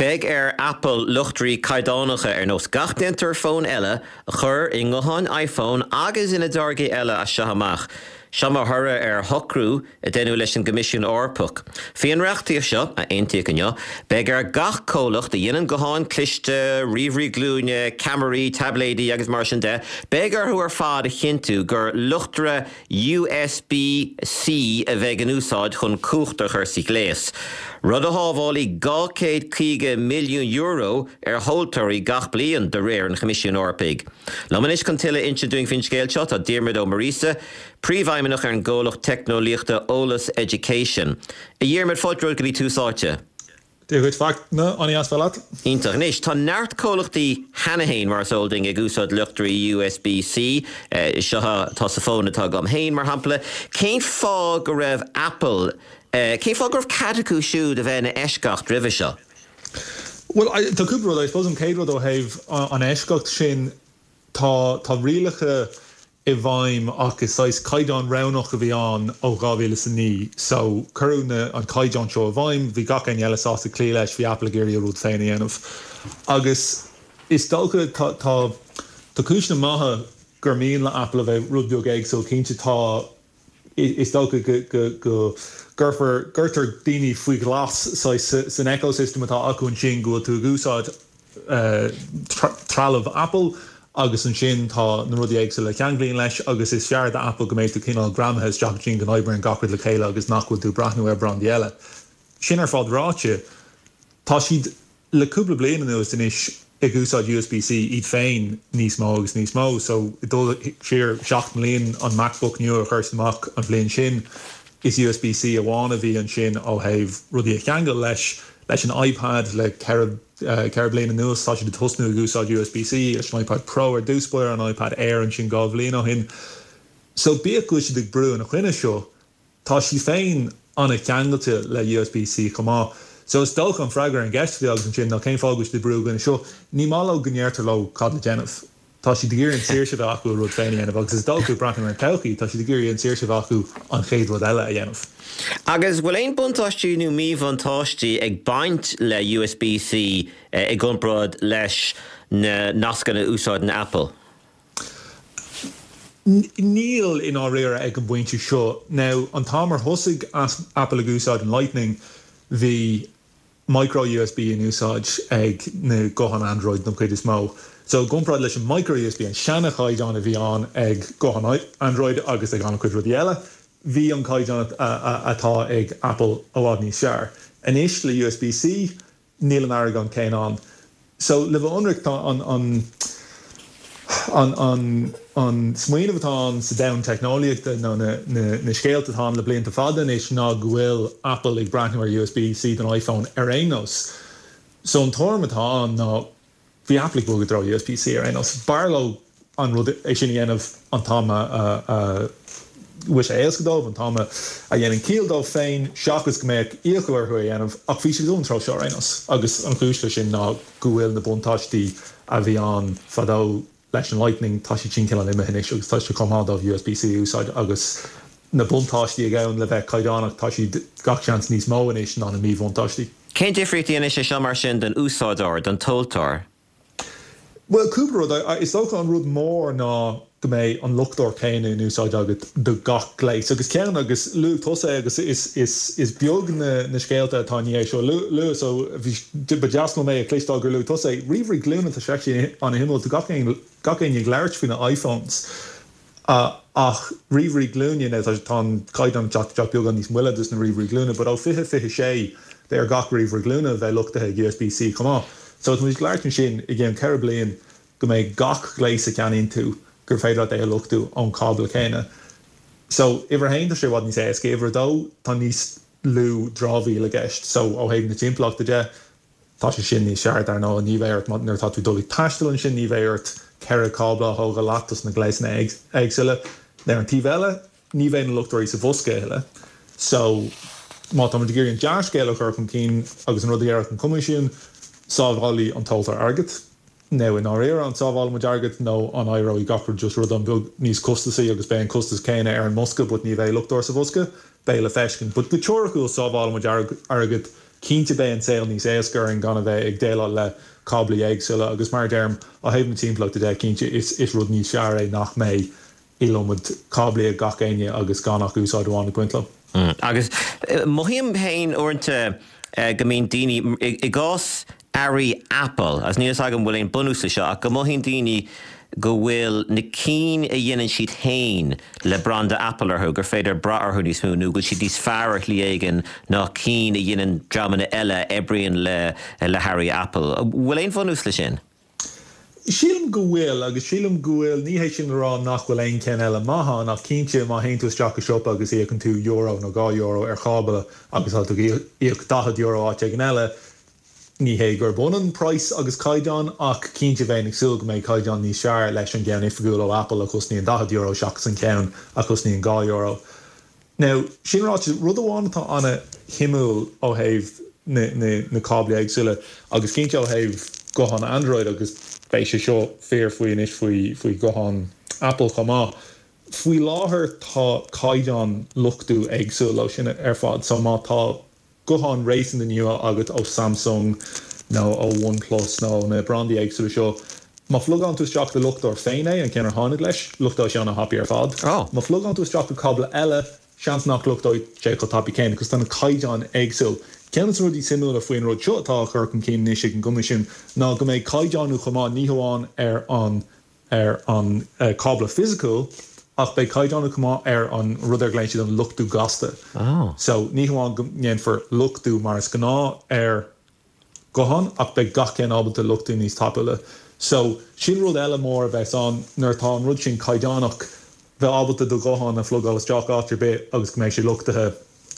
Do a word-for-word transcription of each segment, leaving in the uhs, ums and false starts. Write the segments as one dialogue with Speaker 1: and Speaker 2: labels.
Speaker 1: Beidh ar Apple luchtóirí caighdeánacha ar nós gach déantóir fón eile a chur i ngutháin iPhone agus ina dtáirgí eile as seo amach. Seo mar thoradh ar shocrú a deineadh leis an gCoimisiún Eorpach. Faoin reachtaíocht seo a aontaíodh inniu, beidh ar gach comhlacht a dhéanann gutháin cliste, ríomhairí glúine, ceamaraí, taibléidí agus mar sin de, beidh orthu ar fad a chinntiú gur luchtaire USB-C a bheidh in úsáid chun cumhacht a chur sa ghléas. Rud a shábhálfaidh dhá chéad caoga milliún euro ar thomhaltóirí gach bliain de réir an Choimisiúin Eorpaigh. Liom anois chun tuilleadh a inse dúinn faoin scéal seo tá Diarmuid Ó Muiríosa, Príomhfheidhmeannach ar an gcomhlacht teicneolaíochta Eolas Education. A Dhiarmuid fáilte romhat go dtí Tús Áite.
Speaker 2: Dia dhuit Fachtna an-deas bheith leat.
Speaker 1: Iontach. Anois tá neart comhlachtaí cheana féin mar is eol dúinn ag úsáid luchtóirí USB-C seo atá sa fón atá agam féin mar shampla. Cén fáth go raibh Apple cén fáth go raibh cead acu siúd a bheith ina eisceacht roimhe seo?
Speaker 2: Well tá cúpla rud I suppose an chéad rud ó thaobh an eisceacht sin tá tá rialacha i bhfeidhm ach is saghas caighdeán roghnach a bhí ann ó dhá mhíle is a naoi so cuireadh na an caighdeán seo i bhfeidhm bhí gach éinne eile sásta cloí leis bhí Apple ag iarraidh a rud féin a dhéanamh agus is dócha tá tá tá cúiseanna maithe gur mian le Apple a bheith rud beag éagsúil cinnte tá is dócha go go go gcuirfear gcuirtear daoine faoi ghlas saghas san ecosystem atá acu ansin go bhfuil tú ag úsáid uh, trealamh Apple agus ansin tá na rudaí éagsúla a cheanglaíonn leis agus is fearr do Apple go mbeidh tú cineál greamaithe isteach ansin go n-oibríonn gach rud le chéile agus nach bhfuil tú breathnú ar brandaí eile. Sin ar fad ráite, tá siad le cúpla bliain anuas anois ag úsáid USB-C iad féin níos mó agus níos mó, so dul siar seacht mbliain an MacBook nua a chuir siad amach an bhliain sin, is USB-C amháin a bhí ansin ó thaobh rudaí a cheangal leis leis an iPad le ceithre ceithre bliana anuas tá siad ag tosnú ag úsáid USB-C leis an iPad Pro ar dtús báire an iPad Air ansin dhá bhliain ó shin. So bíodh go bhfuil siad ag brú ina choinne seo, tá siad féin an-cheangailte le USB-C chomh maith. So is dócha an freagra an gceist agus ansin ná cén fáth go bhfuil siad ag brú ina choinne seo, ní maith leo go ndeirtear leo cad le déanamh. Tá siad ag iarraidh an saoirse bheith acu rud féin a dhéanamh agus is dócha breathnú ar an todhchaí, tá siad ag iarraidh an saoirse bheith acu an chéad rud eile a dhéanamh.
Speaker 1: Agus bhfuil aon buntáistí nó míbhuntáistí ag baint le USB-C i gcomparáid leis na nascanna a úsáideann Apple?
Speaker 2: Níl i ndáiríre ag an bpointe seo. Now an t-am ar thosaigh Apple ag úsáid an Lightning, bhí micro USB in úsáid ag na gutháin Android don chuid is mó. So i gcomparáid leis an micro USB an seanchaighdeán a bhí ann ag gutháin Android agus ag an-chuid rudaí eile, bhí an caighdeán atá ag Apple i bhfad níos fearr. Anois le USB-C níl an argóint céanna ann. So le bheith ionraic tá an an an an an smaoineamh atá ann sa domhan teicneolaíochta nó na, na, na scéalta atá ann le blianta fada anois ná go bhfuil Apple ag breathnú ar USB-C don iPhone ar aon nós. So an tuairim atá ann ná bhí Apple ag bogadh i dtreo USB-C ar aon nós. B'fhearr leo an rud é sin a dhéanamh an t-am a bhfuil sé éasca dóibh an t-am a dhéanann ciall dóibh féin seachas go mbeadh iachall orthu a dhéanamh ach bhí siad an treo seo ar aon nós agus an chúis leis sin ná go bhfuil na buntáistí a bhí ann fadó leis an Lightning tá siad sin cineál imithe anois agus tá sé chomh maith dóibh USB-C a úsáid agus na buntáistí a ghabhann le bheith caighdeánach tá siad gach seans níos mó anois ná na míbhuntáistí.
Speaker 1: Cén difríocht anois é seo mar sin don úsáideoir don tomhaltóir?
Speaker 2: Well cúpla rud is dócha an rud mór ná go mbeidh an luchtóir céanna in úsáid agat do gach gléas agus ceann agus luaigh tusa agus is is is beag na na scéalta atá ní seo lu so bhí ba deas mé a chloisteáil gur luaigh tusa ríomhairí glúine tá sé an-shuimiúil tá gach aon gach aon ag labhairt faoi na iPhones uh, ach ríomhairí glúine tá an caighdeán teacht beagán níos moille dos na ríomhairí glúine, but ó fiche fiche sé de ar gach ríomhaire glúine bheith luchtaithe ag USB-C chomh maith. So tá muid ag labhairt ansin i gceann ceithre bliain go mbeidh gach gléas a cheannaíonn tú gur féidir leat é a luchtú ón cábla céanna. So uimhir a haon tá sé i bhfad níos éasca uimhir a dó tá níos lú dramhaíl i gceist, so ó thaobh na timpeallachta de tá sé sin níos fearr dar ndóigh ní bheidh ort nuair atá tú dul ag taisteal ansin ní bheidh ort ceithre cábla a thógáil leat dos na gléasanna éagsúla. Ar an taobh eile ní bheidh na luchtóirí sa bhosca eile. So má tá muid ag iarraidh an dea-scéal a chur chun cinn agus an rud a dhéarfadh an Coimisiún, sábhálfaidh an tomhaltóir airgead. Nó i ndáiríre an sábhálfaidh muid airgead nó an éireoidh gach rud just rud an-bheag níos costasaí agus beidh an costas céanna ar an mbosca, but ní bheidh luchtóir sa bhosca, beidh le feiscint. But go teoiriciúil sábhálfaidh muid airgead Cinnte beidh an saol níos éasca orainn gan a bheith ag déileáil le cáblaí éagsúla agus mar a deirim ó thaobh na timpeallachta de cinnte is is rud níos fearr é nach mbeidh iliomad cáblaí ag gach éinne agus gan ach úsáid amháin ag baint leo.
Speaker 1: Mm. Agus eh, mothaím féin uaireanta eh, go mbíonn daoine i gcás earraí Apple, agus níl a fhios agam bhfuil aon bunús leis seo ach go mothaíonn daoine go bhfuil na cinn a dhéanann siad féin le branda Apple orthu gur féidir brath orthu níos mó nó go bhfuil siad níos fearr ar shlí éigin ná cinn a dhéanann dreamanna eile a oibríonn le le hearraí Apple. Bhfuil aon bhunús leis sin?
Speaker 2: Sílim go bhfuil agus sílim go bhfuil ní hé sin le rá nach bhfuil aon cheann eile maith ann ach cinnte má théann tú isteach i siopa agus íocann tú euro nó dhá euro ar chábla agus tá tú ag íoc daichead euro áit éigin eile, ní hé gurb ionann praghas agus caighdeán ach cinnte bheinn ag súil go mbeidh caighdeán níos fearr leis an gceann oifigiúil ó Apple a chosnaíonn daichead euro seachas an ceann a chosnaíonn dhá euro. Now, sin ráite, rud amháin atá an-shuimiúil ó thaobh na, na, na cáblaí éagsúla agus cinnte ó thaobh guthán Android agus beidh sé seo fíor faoi anois faoi, faoi ghuthán Apple chomh maith. Faoi láthair tá caighdeán luchtú éagsúil leo sin ar fad, so má tá guthán réasúnta nua agat ó Samsung nó ó OnePlus nó na brandaí éagsúla seo, má phlugálann tú isteach do luchtóir féin é, an ceann ar tháinig leis, luchtóidh sé an-thapaidh ar fad.
Speaker 1: Oh.
Speaker 2: Má phlugálann tú isteach do cábla eile, seans nach luchtóidh sé chomh tapaidh céanna, cos tá na caighdeáin éagsúil. Ceann de na rudaí suimiúla faoin rud seo atá á chur chun cinn anois ag an gCoimisiún ná go mbeidh caighdeánú chomh maith ní hamháin ar an ar an cábla fisiciúil ach beidh caighdeánú chomh maith ar an rud ar glaonn siad an luchtú gasta.
Speaker 1: Oh.
Speaker 2: So ní hamháin go ndéanfar luchtú mar is gnáth ar ghuthán ach beidh gach ceann ábalta luchtú níos tapúla. So sin rud eile mór a bheas ann nuair atá an rud sin caighdeánach, bheith ábalta do ghuthán a phlugáil isteach áit ar bith agus go mbeidh sé luchtaithe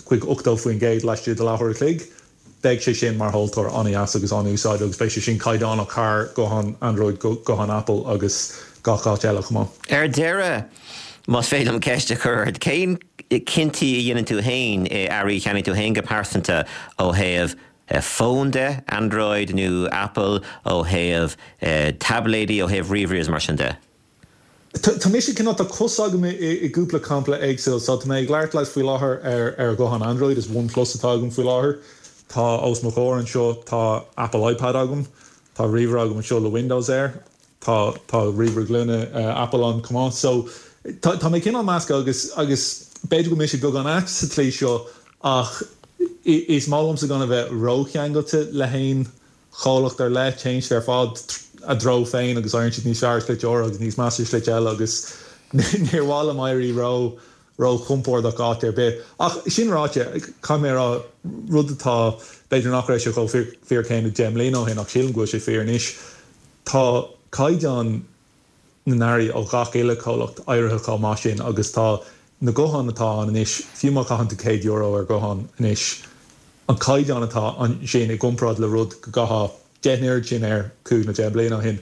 Speaker 2: chuig ochtó faoin gcéad laistigh de leathuair a chloig, beidh sé sin mar thomhaltóir an-dheas agus an-úsáideach agus beidh sé sin caighdeánach thar guthán Android go guthán Apple agus gach áit eile chomh maith.
Speaker 1: Ar deireadh, más féidir liom ceist a chur ort, cén cinntí a dhéanann tú féin i earraí a cheannaíonn tú féin go pearsanta ó thaobh fón de, Android nó Apple, ó thaobh taibléidí, ó thaobh ríomhairí is mar sin de?
Speaker 2: Tá mise cineál tá cos agam i gcúpla campa éagsúil, so tá mé ag labhairt leat faoi láthair ar ar ghuthán Android, is OnePlus atá agam faoi láthair. Tá os mo chomhair anseo tá Apple iPad agam, tá ríomhaire agam anseo le Windows air, tá tá ríomhaire glúine Apple ann chomh maith. So tá tá mé cineál measctha agus agus b'fhéidir go mbeidh sé beagán ait sa tslí seo ach is maith liomsa gan a bheith rócheangailte le haon chomhlacht ar leith, téann siad ar fad a dtreo féin agus éiríonn siad níos fearr ar shlite áirithe agus níos measa ar shlite eile agus níor mhaith liom éirí ró róchompordach áit ar bith. Ach sin ráite, caithfidh mé a rá, rud atá, b'fhéidir nach raibh sé chomh fíor céanna deich mbliana ó shin ach sílim go bhfuil sé fíor anois, tá caighdeán na n-earraí ó gach uile chomhlacht éirithe chomh maith sin agus tá na gutháin atá ann anois, fiú má chaitheann tú céad euro ar ghuthán anois, an caighdeán atá ansin i gcomparáid le rud go gcaithfeá deich n-oiread sin air cúig nó deich mbliana ó shin,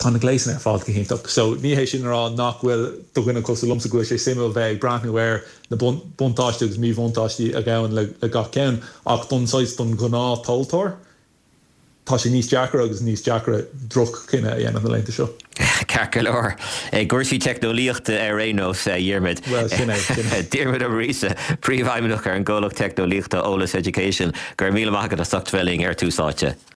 Speaker 2: tá na gléasanna ar fad go hiontach. So ní hé sin a rá nach bhfuil do dhuine cosúil liomsa go bhfuil sé suimiúil bheith ag breathnú ar na buntáistí agus míbhuntáistí a ghabhann le gach ceann ach don saghas don ghnáth-thomhaltóir, tá sé níos deacra agus níos deacra droch-chinneadh a dhéanamh na laethanta seo.
Speaker 1: Ceart go leor. I gcúrsaí teicneolaíochta ar aon nós, a Dhiarmaid.
Speaker 2: Bhuel, sin é, sin é.
Speaker 1: Diarmaid Ó Muiríosa, Príomhfheidhmeannach ar an gcomhlacht teicneolaíochta Eolas Education, go raibh míle maith agat as ucht bheith linn ar Tús Áite.